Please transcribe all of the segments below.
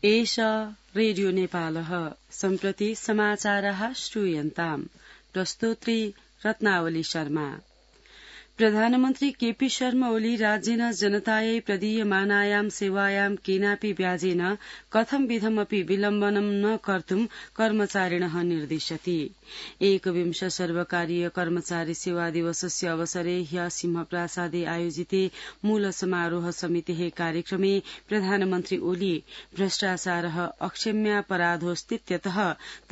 एष रेडियो नेपालः सम्प्रति समाचारः श्रूयन्ताम् प्रस्तोत्री रत्नावली शर्मा। प्रधानमन्त्री केपी शर्मा ओली राज्येन जनतायै प्रदीयमानायां सेवायां केनापि व्याजेन कथंविधमपि विलम्बनं न कर्तुं कर्मचारिणः निर्दिशति। एकविंश सर्वकारीय कर्मचारी सेवा दिवसस्य अवसरे ह्य सिंहप्रासादे आयोजिते मूल समारोह समितेः कार्यक्रमे प्रधानमन्त्री ओली भ्रष्टाचारः अक्षम्यापराधोऽस्तीत्यतः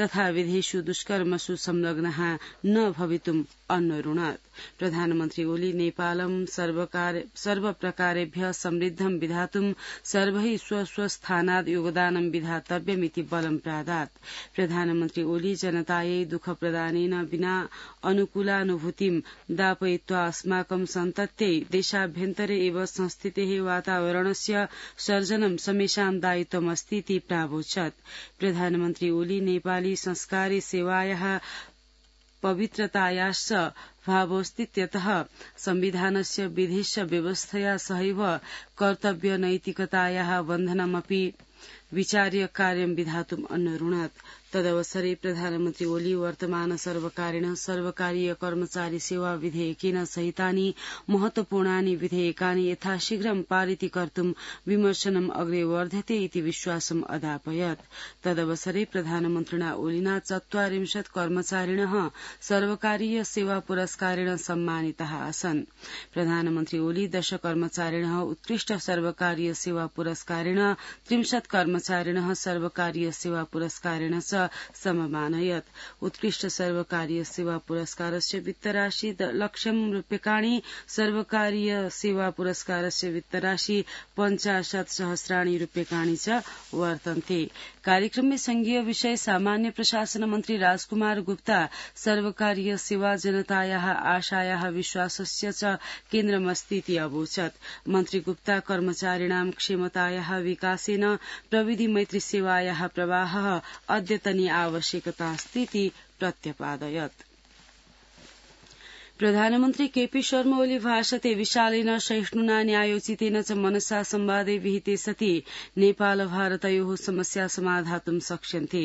तथा विधेषु दुष्कर्मसु संलग्नः न भवितुम् अन्वरुणत्। प्रधानमन्त्री ओली नेपालं सर्वप्रकारेभ्य समृद्धं विधातुं सर्वैः स्वस्थानाद् योगदानं विधातव्यमिति बलं प्रादात्। प्रधानमन्त्री ओली जनतायै दुःखप्रदानेन विना अनुकूलानुभूतिं दापयित्वा अस्माकं सन्तत्यै देशाभ्यन्तरे एव संस्थितेः वातावरणस्य सर्जनं समेषां दायित्वमस्तीति प्रावोचत्। प्रधानमन्त्री ओली नेपाली संस्कारे सेवायाः पवित्रतायाश्च भावोऽस्तीत्यतः संविधानस्य विधिश्च व्यवस्थया सहैव कर्तव्यनैतिकतायाः बन्धनमपि विचार्य कार्यं विधातुम् अन्वरुणत्। तदवसरे प्रधानमन्त्री ओली वर्तमान सर्वकारेण सर्वकारीय कर्मचारी सेवा विधेयकेन सहितानि महत्वपूर्णानि विधेयकानि यथाशीघ्रं पारितीकर्तुं विमर्शनम् अग्रे वर्ध्यते इति विश्वासम् अदापयत्। तदवसरे प्रधानमन्त्रिणा ओलिना ४४ कर्मचारिणः सर्वकारीय सेवा पुरस्कारेण सम्मानिताः आसन्। प्रधानमन्त्री ओली 10 कर्मचारिणः उत्कृष्ट सर्वकारीय सेवा पुरस्कारेण 30 कर्मचारिणः सर्वकारीय सेवा पुरस्कारेण च सममानयत्। उत्कृष्ट सर्वकारीय सेवा पुरस्कारस्य वित्तराशि ₹1,00,000 सर्वकारीय सेवा पुरस्कारस्य वित्तराशि ₹50,000 च वर्तन्ते। कार्यक्रम में संघीय विषय सामान्य प्रशासन मन्त्री राजकुमार गुप्ता सर्वकारीय सेवा जनतायाः आशायाः विश्वासस्य च केन्द्रमस्तीति अवोचत्। मन्त्री गुप्ता कर्मचारिणां क्षमतायाः विकासेन प्रविधि मैत्री सेवायाः प्रवाहः अद्यतनी आवश्यकतास्तीति प्रत्यपादयत्। प्रधानमन्त्री केपी शर्मा ओली भाषते विशालेन सहिष्णुना न्यायोचितेन च मनसा संवादे विहिते सति नेपाल भारतयोः समस्या समाधातुं शक्ष्यन्ते।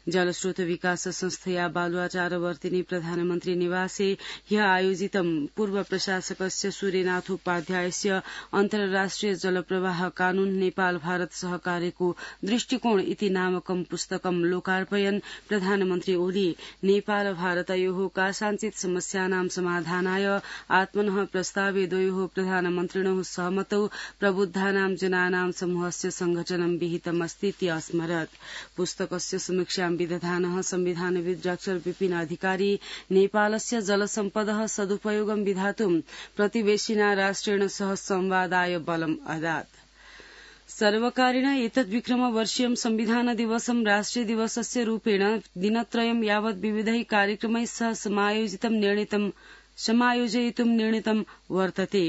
जलस्रोत विकास संस्थया बालुवाचारवर्तिनी प्रधानमन्त्री निवासे ह्य आयोजितं पूर्व प्रशासकस्य सूर्यनाथोपाध्यायस्य अन्तर्राष्ट्रिय जलप्रवाह कानून नेपाल भारत सहकार्यको दृष्टिकोण इति नामकं पुस्तकं लोकार्पयन् प्रधानमन्त्री ओली नेपाल भारतयोः कासाञ्चित् समस्यानां समाधानाय आत्मनः प्रस्तावे द्वयोः प्रधानमन्त्रिणोः सहमतौ प्रबुद्धानां जनानां समूहस्य संघटनं विहितमस्तीति अस्मरत्। पुस्तकस्य समीक्षां विदधानः संविधानविद् डॉ विपिन अधिकारी नेपालस्य जलसम्पदः सदुपयोगं विधातुं प्रतिवेशिना राष्ट्रेण सह संवादाय बलम् अदात्। सर्वकारेण एतद्विक्रमवर्षीयं संविधान दिवसं राष्ट्रिय दिवसस्य रूपेण दिनत्रयं यावत् विविधैः कार्यक्रमैः सह समायोजयितुं निर्णीतं वर्तते।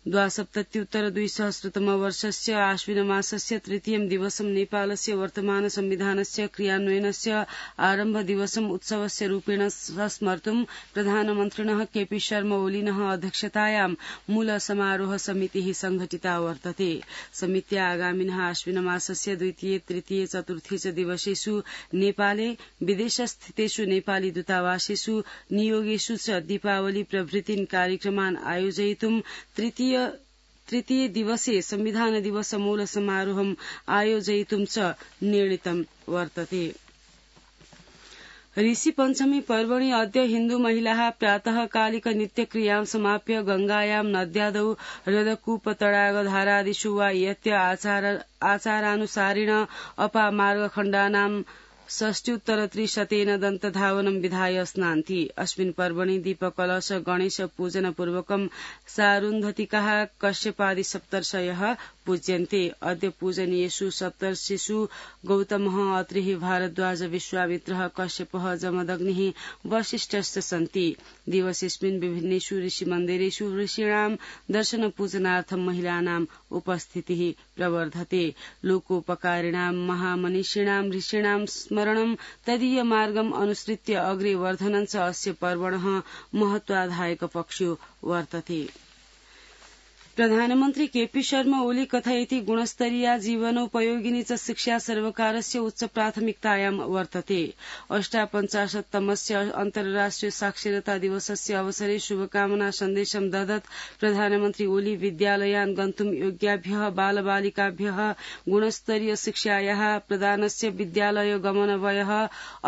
२०७० वर्षस्य आश्विनमासस्य तृतीयं दिवसं नेपालस्य वर्तमान संविधानस्य क्रियान्वयनस्य आरम्भ दिवसम् उत्सवस्य रूपेण स्मर्तुं प्रधानमन्त्रिणः केपी शर्मा ओलिनः अध्यक्षतायां मूल समारोह समितिः संघटिता वर्तते। समित्या आगामिनः आश्विनमासस्य द्वितीय तृतीय चतुर्थी च दिवसेषु नेपाले विदेशस्थितेषु नेपाली दूतावासेषु नियोगेषु च दीपावली प्रभृतीन् कार्यक्रमान् आयोजयितुं तृतीय दिवसे संविधान दिवस मूल समारोहम् आयोजयितुं च निर्णीतं वर्तते। ऋषि पञ्चमी पर्वणि अद्य हिन्दू महिलाः प्रातःकालिक नित्यक्रियां समाप्य गंगायां नद्यादौ हृदकूपतडागधारादिषु वा यत्य आचारानुसारेण अपामार्गखण्डानां 60-300 दन्तधावनं विधाय स्नान्ति। अस्मिन् पर्वणि दीपकलश गणेश पूजन पूर्वकं सारुन्धतिकाः कश्यपादि सप्तर्षयः पूज्यन्ते। अद्य पूजनीयेषु सप्तर्षिषु गौतमः अत्रिः भारद्वाज विश्वामित्रः कश्यपः जमदग्निः वसिष्ठश्च सन्ति। दिवसेऽस्मिन् विभिन्नेषु ऋषिमन्दिरेषु ऋषीणां दर्शन पूजनार्थं महिलानां उपस्थितिः प्रवर्धते। लोकोपकारिणां महामनीषिणां ऋषीणां स्मरणं तदीय मार्गम् अनुसृत्य अग्रे वर्धनं च अस्य पर्वणः महत्वाधायक पक्षो वर्तते। प्रधानमन्त्री केपी शर्मा ओली कथयति गुणस्तरीया जीवनोपयोगिनी च शिक्षा सर्वकारस्य उच्च प्राथमिकतायां वर्तते। 58तमस्य अन्तर्राष्ट्रिय साक्षरता दिवसस्य अवसरे शुभकामना सन्देशं ददत् प्रधानमन्त्री ओली विद्यालयान् गन्तुं योग्याभ्यः बालबालिकाभ्यः गुणस्तरीय शिक्षायाः प्रदानस्य विद्यालय गमनवयः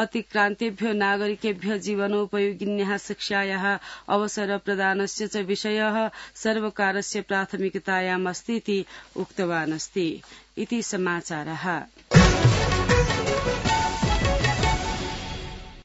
अतिक्रान्तेभ्यो नागरिकेभ्यः जीवनोपयोगिन्याः शिक्षायाः अवसर प्रदानस्य च विषयः सर्वकारस्य प्राथमिकतायाम् अस्ति इति उक्तवान् अस्ति। इति समाचारः।